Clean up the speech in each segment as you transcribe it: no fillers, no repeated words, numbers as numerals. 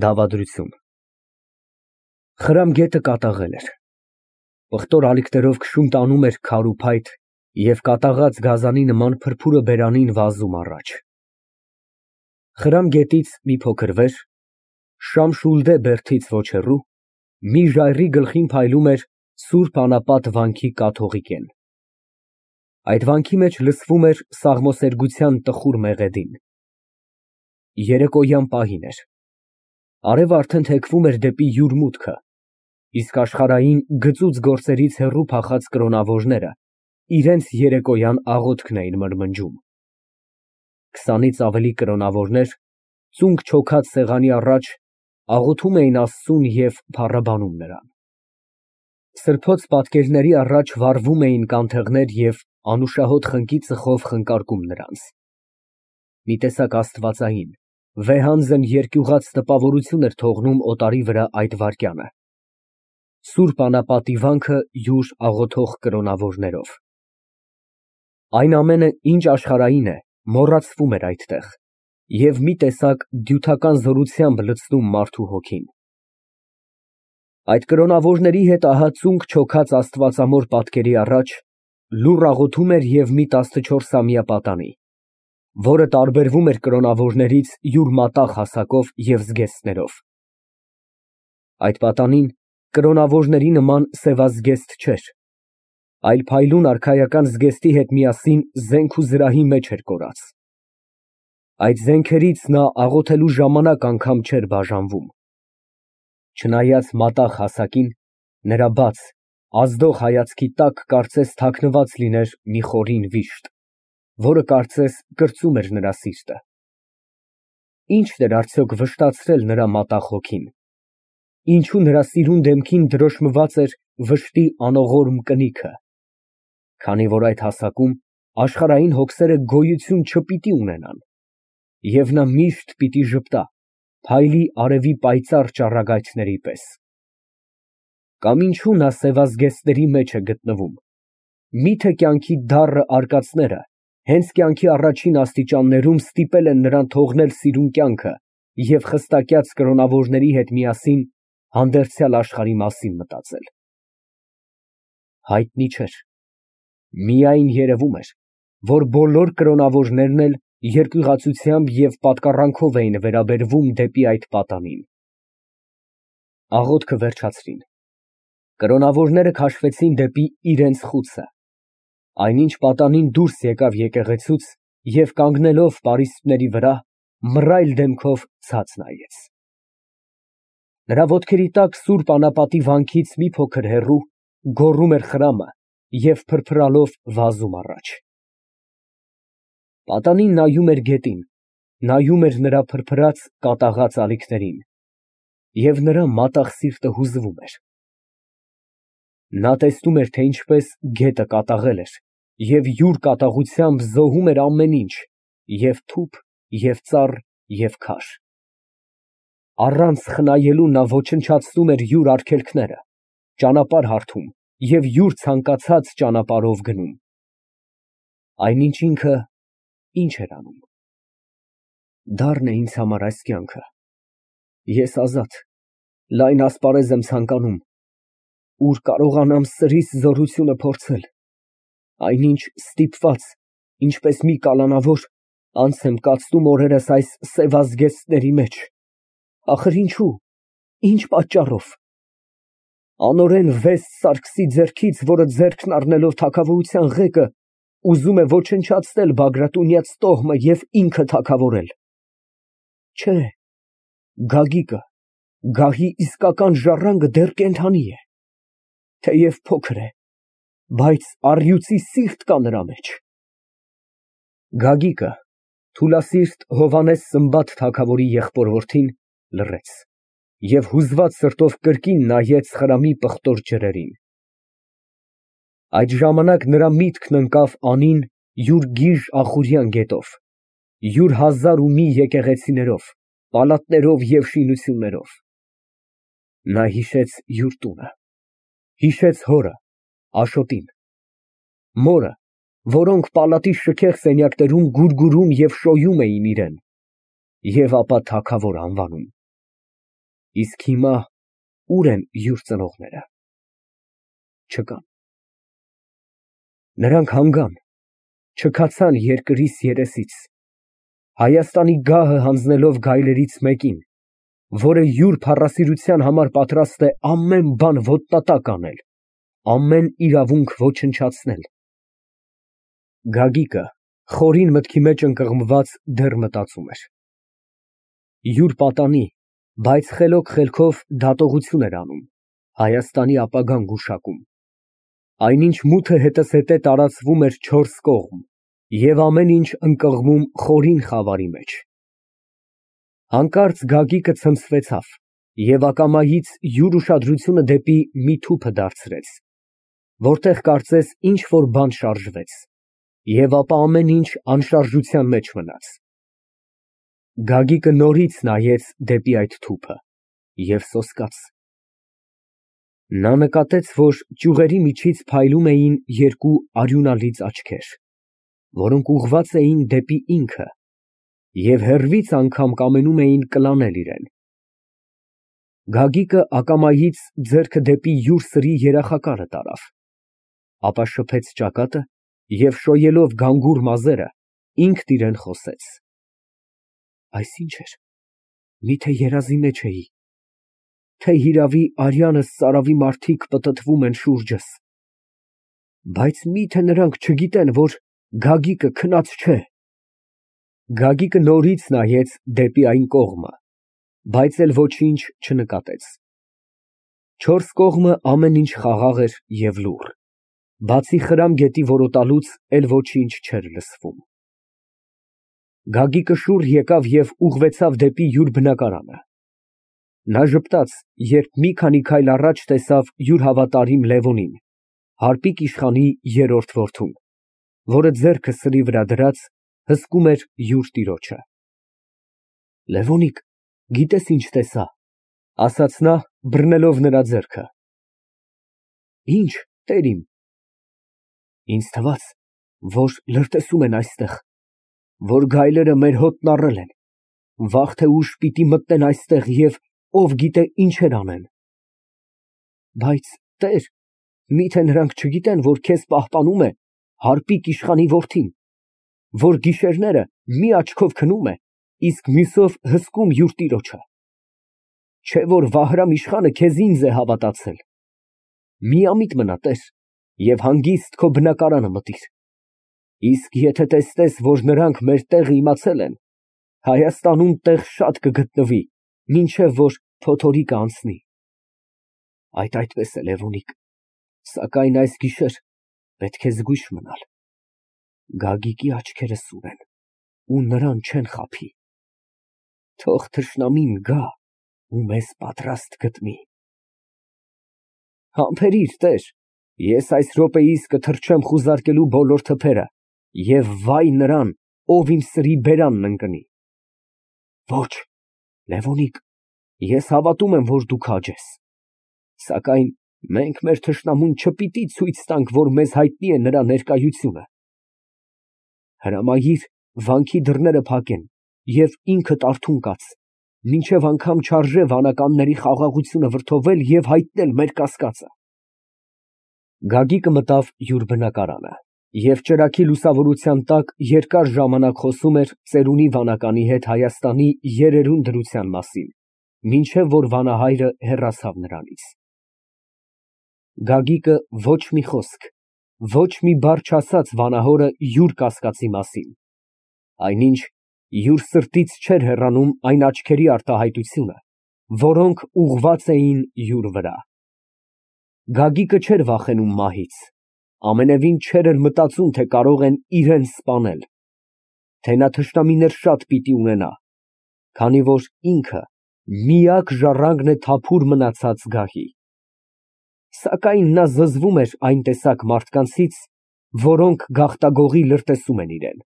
Դավադրություն։ Խրամ գետը կատաղել էր։ Պղտոր ալիքներով քշում տանում էր քար ու փայտ և կատաղած գազանի նման փրփուրը բերանին վազում առաջ։ Խրամ գետից մի փոքր վեր, Շամշուլդե բերդից ոչ հեռու, մի ժայռի գլխին փայլում էր Սուրբ Անապատ վանքի կաթողի կեն։ Այդ վանքի մեջ լսվում էր սաղմոսերգության տխուր մեղեդին։ Երեկոյան պահին էր։ Արևը արդեն թեքվում էր դեպի յուր մուտքը, իսկ աշխարհային գծուծ գործերից հեռու փախած կրոնավորները իրենց երեկոյան աղոթքն էին մրմնջում։ 20-ից ավելի կրոնավորներ, ծունկ չոքած սեղանի առաջ, աղոթում էին Աստծուն և փառաբանում նրան։ Սրբոց պատկերների առաջ վառվում էին կանթեղներ և անուշահոտ խնկի ծխով խնկարկում նրանց։ Մի տեսակ աստվածային, վեհանձն երկյուղած տպավորություն էր թողնում օտարի վրա այդ վայրկյանը։ Սուրբ Անապատի վանքը յուր աղոթող կրոնավորներով։ Այն ամենը, ինչ աշխարհային է, մոռացվում էր այդտեղ և մի տեսակ դյութական զորությամբ լցնում մարդու հոգին։ Այդ կրոնավորների հետ ահա ծունկ չոքած աստվածամոր պատկերի առաջ լուռ աղոթում էր և մի 14-ամյա պատանի, որը տարբերվում էր կրոնավորներից յուր մատաղ հասակով և զգեստներով։ Այդ պատանին կրոնավորների նման սևազգեստ չէր, այլ փայլուն արքայական զգեստի հետ միասին զենք ու զրահի մեջ էր կորած։ Այդ զենքերից նա աղոթելու ժամանակ անգամ չէր բաժանվում։ Չնայած մատաղ հասակին, նրա բաց, ազդող հայացքի տակ կարծես թաքնված լիներ մի խորին վիշտ, որը կարծես կրծում էր նրա սիրտը։ Ի՞նչն էր արդյոք վշտացրել նրա մատաղ հոգին։ Ինչո՞ւ նրա սիրուն դեմքին դրոշմված էր վշտի անողորմ կնիքը։ Քանի որ այդ հասակում աշխարհային հոգսերը գոյություն չպիտի ունենան, և նա միշտ պիտի ժպտա, փայլի արևի պայծառ ճառագայթների պես։ Կամ ինչո՞ւ նա սևազգեստների մեջ է գտնվում։ Մի՞թե կյանքի դառը արկածները հենց կյանքի առաջին աստիճաններում ստիպել են նրան թողնել սիրուն կյանքը և խստակյաց կրոնավորների հետ միասին հանդերձյալ աշխարհի մասին մտածել։ Հայտնի չէր։ Միայն երևում էր, որ բոլոր կրոնավորներն էլ երկյուղացությամբ և պատկառանքով էին վերաբերվում դեպի այդ պատանին։ Աղոթքը վերջացրին։ Կրոնավորները քաշվեցին դեպի իրենց խուցը։ Այնինչ պատանին դուրս եկավ եկեղեցուց և կանգնելով պարիսպների վրա, մռայլ դեմքով ցած նայեց։ Նրա ոտքերի տակ Սուրբ Անապատի վանքից մի փոքր հեռու գոռում էր խրամը և փրփրալով վազում առաջ։ Պատանին նայում էր գետին, նայում էր նրա փրփրած, կատաղած ալիքներին, և նրա մատաղ սիրտը հուզվում էր։ Նա տեսնում էր, թե ինչպես գետը կատաղել էր և յուր կատաղությամբ զոհում էր ամեն ինչ, և թուփ, և ծառ, և քար։ Առանց խնայելու նա ոչնչացնում էր յուր արգելքները, ճանապարհ հարթում և յուր ցանկացած ճանապարհով գնում։ Այնինչ ինքը ի՞նչ էր անում։ Դառն է ինձ համար այս կյանքը։ Ես ազատ, լայն ասպարեզ եմ ցանկանում, ուր կարողանամ սրիս զորությունը փորձել, այնինչ ստիպված, ինչպես մի կալանավոր, անց եմ կացնում օրերս այս սևազգեստների մեջ։ Ախր ինչո՞ւ, ինչ պատճառով։ Անօրեն Վեստ Սարգսի ձեռքից, որը ձեռքն առնելով թագավորության ղեկը, ուզում է ոչնչացնել Բագրատունյաց տոհմը և ինքը թագավորել։ Չէ, Գագիկը, գահի իսկական ժառանգը դեռ կենդանի է, թեև փոքր է, բայց առյուծի սիրտ կա նրա մեջ։ Գագիկը, թուլասիրտ Հովհաննես Սմբատ թագավորի եղբոր֊որդին, լռեց և հուզված սրտով կրկին նայեց խրամի պղտոր ջրերին։ Այդ ժամանակ նրա միտքն ընկավ անին յուր գիժ ախուրյան գետով, յուր հազար ու մի եկեղեցիներով, պալատներով և շինություններով։ Նա հիշեց յուր տունը, հիշեց հորը, Աշոտին, մորը, որոնք պալատի շքեղ սենյակներում գուրգուրում և շոյում էին իրան, և ապա թագավոր անվանում։ Իսկ հիմա ուր են յուր ծնողները։ Չկան։ Նրանք հանգան, չքացան երկրիս երեսից, Հայաստանի գահը հանձնելով գայլերից մեկին, որը յուր փառասիրության համար պատրաստ է ամեն բան ոտնատակ անել, ամեն իրավունք ոչնչացնել։ Գագիկը խորին մտքի մեջ ընկղմված դեռ մտածում էր։ Յուր պատանի, բայց խելոք խելքով դատողություն էր անում, Հայաստանի ապագան գուշակում։ Այնինչ մութը հետզհետե տարածվում էր չորս կողմ և ամեն ինչ ընկղմում խորին խավարի մեջ։ Հանկարծ Գագիկը ցնցվեցավ և ակամայից յուր ուշադրությունը դեպի մի թուփը դարձրեց, որտեղ կարծես ինչ֊որ բան շարժվեց, և ապա ամեն ինչ անշարժության մեջ մնաց։ Գագիկը նորից նայեց դեպի այդ թուփը և սոսկաց։ Նա նկատեց, որ ճյուղերի միջից փայլում էին երկու արյունալից աչքեր, որոնք ուղղված էին դեպի ինքը և հեռվից անգամ կամենում էին կլանել իրան։ Գագիկը ակամայից ձեռքը դեպի յուր սրի երախակառը տարավ, ապա շփեց ճակատը և շոյելով գանգուր մազերը, ինքն իրան խոսեց. Այս ի՞նչ էր, միթե երազի մեջ էի, թե հիրավի արյանս ծարավի մարդիկ պտտվում են շուրջս, բայց միթե նրանք չգիտեն, որ Գագիկը քնած չէ։ Գագիկը նորից նայեց դեպի այն կողմը, բայց էլ ոչինչ չնկատեց։ Չորս կողմը ամեն ինչ խաղաղ էր և լուռ, բացի Խրամ գետի որոտալուց էլ ոչինչ չէր լսվում։ Գագիկը շուռ եկավ և ուղղվեցավ դեպի յուր բնակարանը։ Նա ժպտաց, երբ մի քանի քայլ առաջ տեսավ յուր հավատարիմ Լևոնին, հարպիկ իշխանի երրորդ որդուն, որը ձեռքը սրի վրա դրած հսկում էր յուր տիրոջը։ Լևոնիկ, գիտես ինչ տեսա, ասաց նա, բռնելով նրա ձեռքը։ Ինչ, տեր իմ։ Ինձ թվաց, որ լրտեսում են այստեղ, որ գայլերը մեր հոտն առել են, վաղ թե ուշ պիտի մտնեն այստեղ և ով գիտե ինչեր անեն։ Բայց, տեր, միթե նրանք չգիտեն, որ քեզ պահպանում է հարպիկ իշխանի որդին, որ գիշերները մի աչքով քնում է, իսկ մյուսով հսկում յուր տիրոջը։ Չէ՞ որ Վահրամ իշխանը քեզ ինձ է հավատացել։ Միամիտ մնա, տեր, և հանգիստ քո բնակարանը մտիր։ Իսկ եթե տեսնես, որ նրանք մեր տեղը իմացել են, Հայաստանում տեղ շատ կգտնվի, մինչև որ փոթորիկը անցնի։ Այդպես է, Լևոնիկ, սակայն այս գիշեր պետք է զգույշ մնալ։ Գագիկի աչքերը սուր են ու նրան չեն խաբի։ Թող թշնամին գա ու մեզ պատրաստ գտնի։ Համբերիր, տեր, ես այս րոպեիս կթռչեմ խուզարկելու բոլոր թփերը և վայ նրան, ով իմ սրի բերանն ընկնի։ Ոչ, Լևոնիկ, ես հավատում եմ, որ դու քաջ ես, սակայն մենք մեր թշնամուն չպիտի ցույց տանք, որ մեզ հայտնի է նրա ներկայությունը։ Հրամայիր վանքի դռները փակեն և ինքդ արթուն կաց, մինչև անգամ չարժե վանականների խաղաղությունը վրդովել և հայտնել մեր կասկածը։ Գագիկը մտավ յուր բնակարանը և ճրագի լուսավորության տակ երկար ժամանակ խոսում էր ծերունի վանականի հետ Հայաստանի երերուն դրության մասին, մինչև որ վանահայրը հեռացավ նրանից։ Գագիկը ոչ մի խոսք, ոչ մի բառ չասաց վանահորը յուր կասկածի մասին, այնինչ յուր սրտից չէր հեռանում այն աչքերի արտահայտությունը, որոնք ուղղված էին յուր վրա։ Գագիկը չէր վախենում մահից, ամենևին չէր էլ մտածում, թե կարող են իրան սպանել, թե նա թշնամիներ շատ պիտի ունենա, քանի որ ինքը միակ ժառանգն է թափուր մնացած գահի։ Սակայն նա զզվում էր այն տեսակ մարդկանցից, որոնք գաղտագողի լրտեսում են իրան։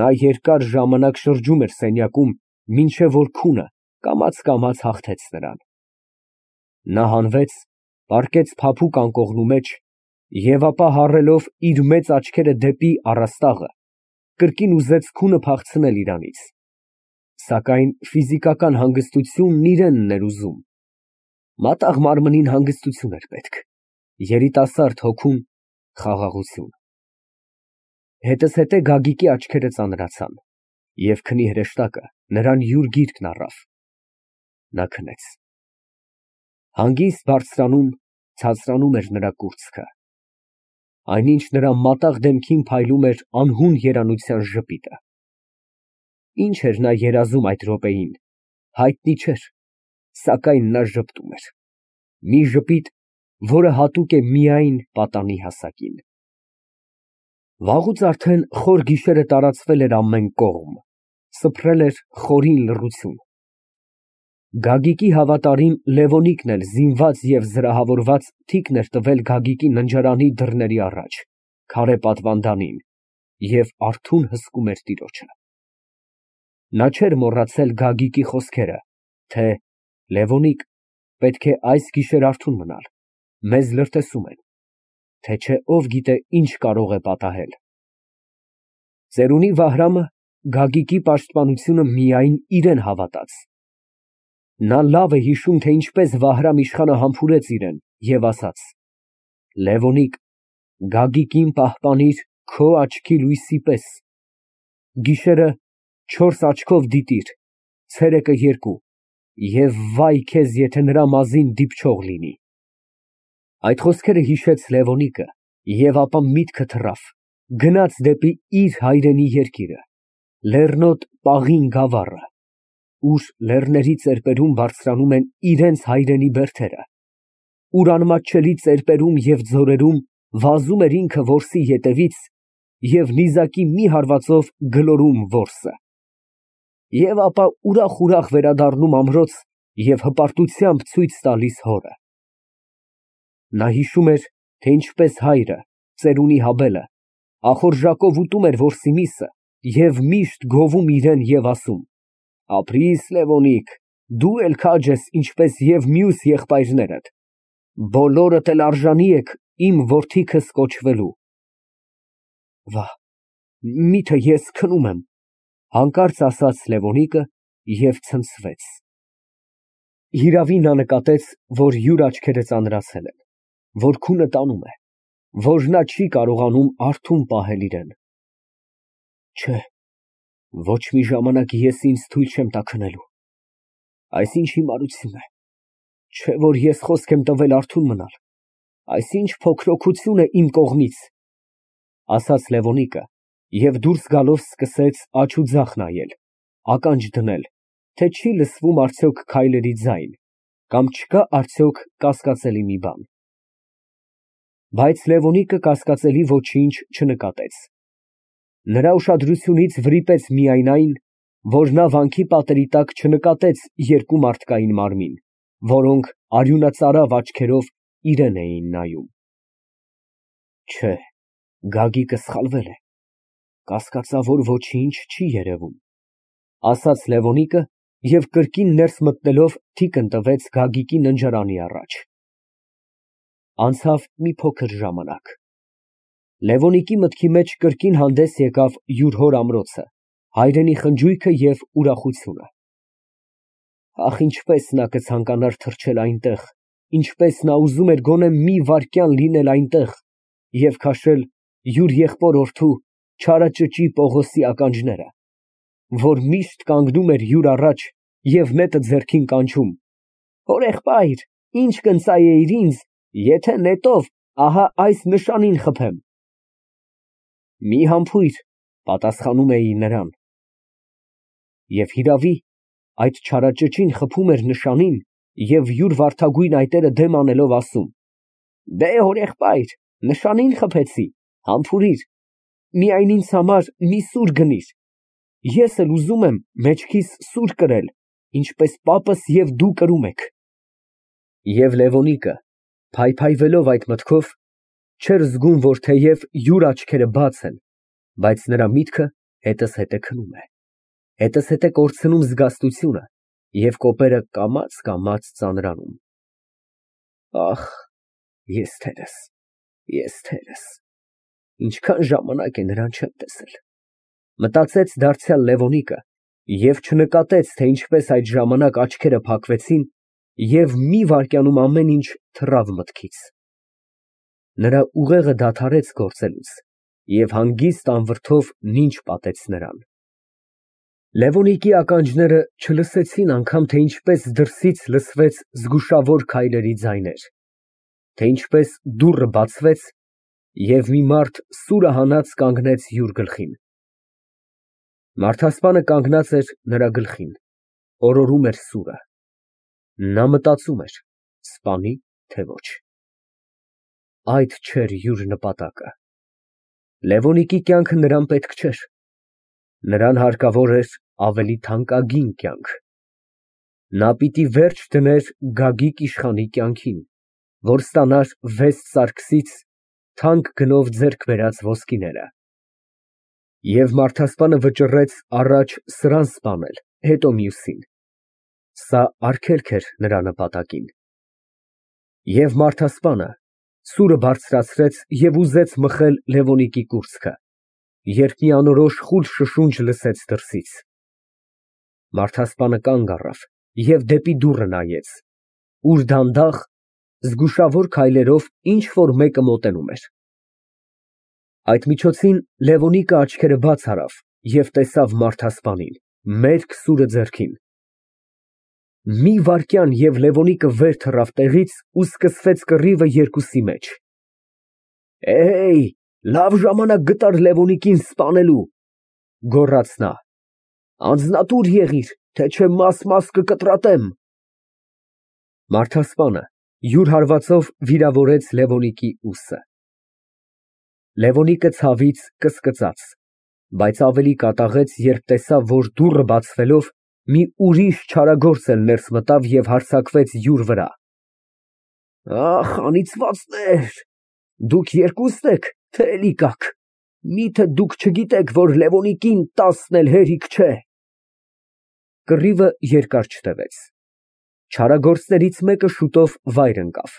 Նա երկար ժամանակ շրջում էր սենյակում, մինչև որ քունը կամաց հաղթեց նրան։ Նա հանվեց, պառկեց փափուկ անկողնու մեջ և ապա հառելով իր մեծ աչքերը դեպի առաստաղը, կրկին ուզեց քունը փախցնել իրանից։ Սակայն ֆիզիկական հանգստությունն իրենն էր ուզում։ Մատաղ մարմնին հանգստություն էր պետք, երիտասարդ հոգուն խաղաղություն։ Հետզհետե Գագիկի աչքերը ծանրացան, և քնի հրեշտակը նրան յուր գիրկն առավ։ Նա քնեց։ Հանգիստ բարձրանում, ցածրանում էր նրա կուրծքը։ Այնինչ նրա մատաղ դեմքին փայլում էր անհուն երանության ժպիտը։ Ինչ էր նա երազում այդ րոպեին, հայտնի չէր, սակայն նա ժպտում էր, մի ժպիտ, որը հատուկ է միայն պատանի հասակին։ Վաղուց արդեն խոր գիշերը տարածվել էր ամեն կողմ, սփռել էր խորին լռություն։ Գագիկի հավատարիմ Լևոնիկն էլ զինված և զրահավորված թիկն էր տվել Գագիկի ննջարանի դռների առաջ, քարե պատվանդանին, և արթուն հսկում էր տիրոջը։ Նա չէր մոռացել Գագիկի խոսքերը, թե Լևոնիկ, պետք է այս գիշեր արթուն մնալ, մեզ լրտեսում են, թե չէ ով գիտե ինչ կարող է պատահել։ Ծերունի Վահրամը Գագիկի պաշտպանությունը միայն իրան հավատաց։ Նա լավ է հիշում, թե ինչպես Վահրամ իշխանը համբուրեց իրան և ասաց. «Լևոնիկ, Գագիկին պահպանիր քո աչքի լույսի պես, գիշերը 4 աչքով դիտիր, ցերեկը 2, և վայ քեզ, եթե նրա մազին դիպչող լինի»։ Այդ խոսքերը հիշեց Լևոնիկը և ապա միտքը թռավ, գնաց դեպի իր հայրենի երկիրը, լեռնոտ Պաղին գավառը, ուր լեռների ծեպերում բարձրանում են իրենց հայրենի բերդերը, ուր անմատչելի ծեպերում և ձորերում վազում էր ինքը որսի ետևից և նիզակի մի հարվածով գլորում որսը, և ապա ուրախ վերադառնում ամրոց և հպարտությամբ ցույց տալիս հորը։ Նա հիշում էր, թե ինչպես հայրը, ծերունի Հաբելը, ախորժակով ուտում էր որսի միսը և միշտ գովում իրան և ասում. «Ապրի՛ս, Լևոնիկ, դու էլ քաջ ես, ինչպես և մյուս եղբայրներդ, բոլորդ էլ արժանի եք իմ որդիքս կոչվելու»։ Վա, միթե ես քնում եմ, հանկարծ ասաց Լևոնիկը և ցնցվեց։ Հիրավի, նա նկատեց, որ յուր աչքերը ծանրացել են, որ քունը տանում է, որ նա չի կարողանում արթուն պահել իրան։ Չէ, ոչ մի ժամանակ ես ինձ թույլ չեմ տա քնելու։ Այս ինչ հիմարություն է, չէ որ ես խոսք եմ տվել արթուն մնալ, այս ինչ փոքրոքություն է իմ կողմից, ասաց Լևոնիկը և դուրս գալով սկսեց աջ ու ձախ նայել, ականջ դնել, թե չի լսվում արդյոք քայլերի ձայն, կամ չկա արդյոք կասկածելի մի բան։ Բայց Լևոնիկը կասկածելի ոչինչ չնկատեց։ Նրա ուշադրությունից վրիպեց միայն այն, որ նա վանքի պատերի տակ չնկատեց երկու մարդկային մարմին, որոնք արյունածարավ աչքերով իրան էին նայում։ Չէ, Գագիկը սխալվել է, կասկածավոր ոչինչ չի երևում, ասաց Լևոնիկը և կրկին ներս մտնելով թիկն տվեց Գագիկի ննջարանի առաջ։ Անցավ մի փոքր ժամանակ։ Լևոնիկի մտքի մեջ կրկին հանդես եկավ յուր հոր ամրոցը, հայրենի խնջույքը և ուրախությունը։ Ախ, ինչպես նա կցանկանար թռչել այնտեղ, ինչպես նա ուզում էր գոնե մի վայրկյան լինել այնտեղ և քաշել յուր եղբոր֊որդու չարաճճի Պողոսի ականջները, որ միշտ կանգնում էր յուր առաջ և նետը ձեռքին կանչում. «Հորեղբայր, ինչ կընծայեիր ինձ, եթե նետով ահա այս նշանին խփեմ»։ Մի համբույր, պատասխանում էի նրան։ Եվ հիրավի, այդ չարաճճին խփում էր նշանին և յուր վարդագույն այտերը դեմ անելով ասում. «Դե, հորեղբայր, նշանին խփեցի, համբուրիր, միայն ինձ համար մի սուր գնիր, ես էլ ուզում եմ մեջքիս սուր կրել, ինչպես պապս և դու կրում եք»։ Եվ Լևոնիկը, փայփայվելով այդ մտքով, չէր զգում, որ թեև յուր աչքերը բաց են, բայց նրա միտքը հետզհետե քնում է, հետզհետե կորցնում զգաստությունը և կոպերը կամաց ծանրանում։ Ախ, ես թերս, ինչքան ժամանակ է նրան չեմ տեսել, մտածեց դարձյալ Լևոնիկը Եվ չնկատեց, թե ինչպես այդ ժամանակ աչքերը փակվեցին և մի վայրկյանում ամեն ինչ թռավ մտքից։ Նրա ուղեղը դադարեց գործելուց և հանգիստ անվրդով նինջ պատեց նրան։ Լևոնիկի ականջները չլսեցին անգամ, թե ինչպես դրսից լսվեց զգուշավոր քայլերի ձայներ, թե ինչպես դուռը բացվեց և մի մարդ սուրը հանած կանգնեց յուր գլխին։ Մարդասպանը կանգնած էր նրա գլխին, օրորում էր սուրը։ Նա մտածում էր՝ սպանի, թե ոչ։ Այդ չէր յուր նպատակը։ Լևոնիկի կյանքը նրան պետք չէր։ Նրան հարկավոր էր ավելի թանկագին կյանք։ Նա պիտի վերջ դներ Գագիկ իշխանի կյանքին, որ ստանար վեց սարգսից թանկ գնով ձեռք բերած ոսկիները։ Եվ մարդասպանը վճռեց առաջ սրան սպանել, հետո մյուսին։ Սա արգելք էր նրա նպատակին։ Եվ մարդասպանը սուրը բարձրացրեց և ուզեց մխել Լևոնիկի կուրծքը, երբ մի անորոշ խուլ շշունջ լսեց դրսից։ Մարդասպանը կանգ առավ և դեպի դուռը նայեց, ուր դանդաղ, զգուշավոր քայլերով ինչ֊որ մեկը մոտենում էր։ Այդ միջոցին Լևոնիկը աչքերը բաց արավ և տեսավ մարդասպանին, մերկ սուրը ձեռքին։ Մի վայրկյան, և Լևոնիկը վեր թռավ տեղից ու սկսվեց կռիվը երկուսի մեջ։ Լավ ժամանակ գտար Լևոնիկին սպանելու, գոռաց նա, անձնատուր եղիր, թե չէ մաս կկտրատեմ։ Մարդասպանը յուր հարվածով վիրավորեց Լևոնիկի ուսը։ Լևոնիկը ցավից կսկծաց, բայց ավելի կատաղեց, երբ տեսավ, որ դուռը բացվելով մի ուրիշ չարագործ էլ ներս մտավ և հարձակվեց յուր վրա։ Ախ, անիծվածներ, դուք երկուսն եք, թե էլի կաք, միթե դուք չգիտեք, որ Լևոնիկին 10 էլ հերիք չէ։ Կռիվը երկար չտևեց։ Չարագործներից մեկը շուտով վայր ընկավ,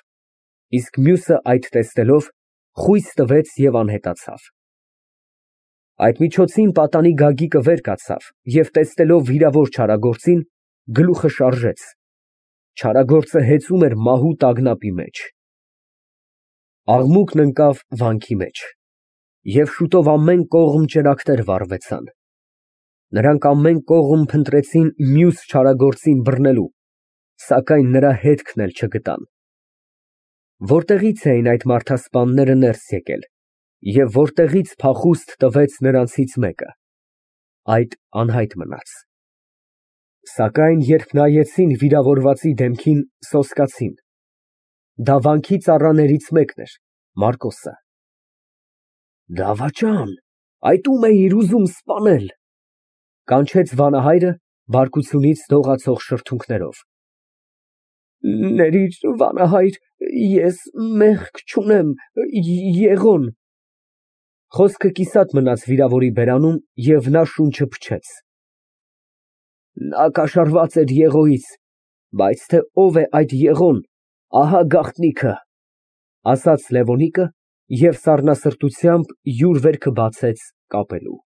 իսկ մյուսը այդ տեսնելով խույս տվեց և անհետացավ։ Այդ միջոցին պատանի Գագիկը վեր կացավ և տեսնելով վիրավոր չարագործին, գլուխը շարժեց։ Չարագործը հեծում էր մահու տագնապի մեջ։ Աղմուկն ընկավ վանքի մեջ, և շուտով ամեն կողմ ճրագներ վառվեցան։ Նրանք ամեն կողմ փնտրեցին մյուս չարագործին բռնելու, սակայն նրա հետքն էլ չգտան։ Որտեղի՞ց էին այդ մարդասպանները ներս եկել և որտեղի՞ց փախուստ տվեց նրանցից մեկը, այդ անհայտ մնաց։ Սակայն երբ նայեցին վիրավորվածի դեմքին, սոսկացին։ Դա վանքի ծառաներից մեկն էր, Մարկոսը։ Դավաճան, այդ ո՞ւմ էիր ուզում սպանել, կանչեց վանահայրը բարկությունից դողացող շրթունքներով։ Ներիր, վանահայր, ես մեղք չունեմ, եղոն։ Խոսքը կիսատ մնաց վիրավորի բերանում, և նա շունչը փչեց։ Նա կաշառված էր Եղոյից, բայց թե ով է այդ Եղոն, ահա գաղտնիքը, ասաց Լևոնիկը և սառնասրտությամբ յուր վերքը բացեց կապելու։